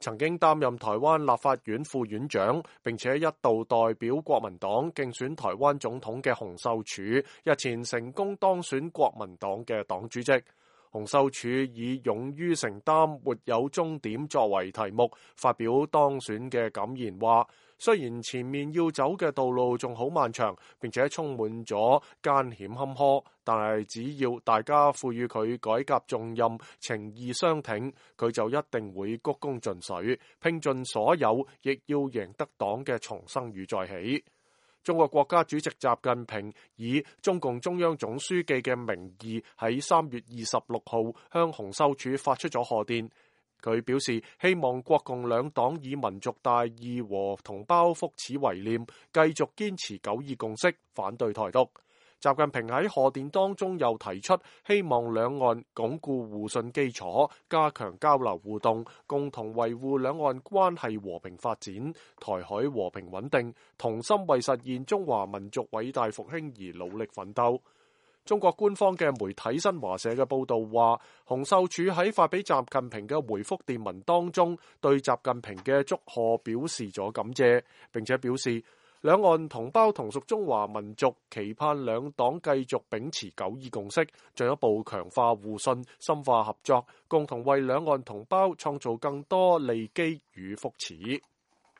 曾經擔任台灣立法院副院長，並且一度代表國民黨競選台灣總統嘅洪秀柱，日前成功當選國民黨嘅黨主席。洪秀柱以勇於承擔、沒有終點作為題目，發表當選嘅感言，話雖然前面要走嘅道路仲好漫長，並且充滿咗艱險坎坷，但係只要大家賦予佢改革重任、情義相挺，佢就一定會鞠躬盡瘁，拼盡所有，亦要贏得黨嘅重生與再起。中國國家主席習近平以中共中央總書記嘅名義喺3月26號向洪秀柱發出咗賀電。佢表示希望國共兩黨以民族大義和同胞福祉為念，繼續堅持九二共識，反對台獨。習近平喺賀電當中又提出，希望兩岸鞏固互信基礎，加強交流互動，共同維護兩岸關係和平發展，台海和平穩定，同心為實現中華民族偉大復興而努力奮鬥。中國官方嘅媒體新華社嘅報導話，洪秀柱喺發俾習近平嘅回覆電文當中，對習近平嘅祝賀表示咗感謝，並且表示，兩岸同胞同屬中華民族，期盼兩黨繼續秉持九二共識，進一步強化互信，深化合作，共同為兩岸同胞創造更多利基與福祉。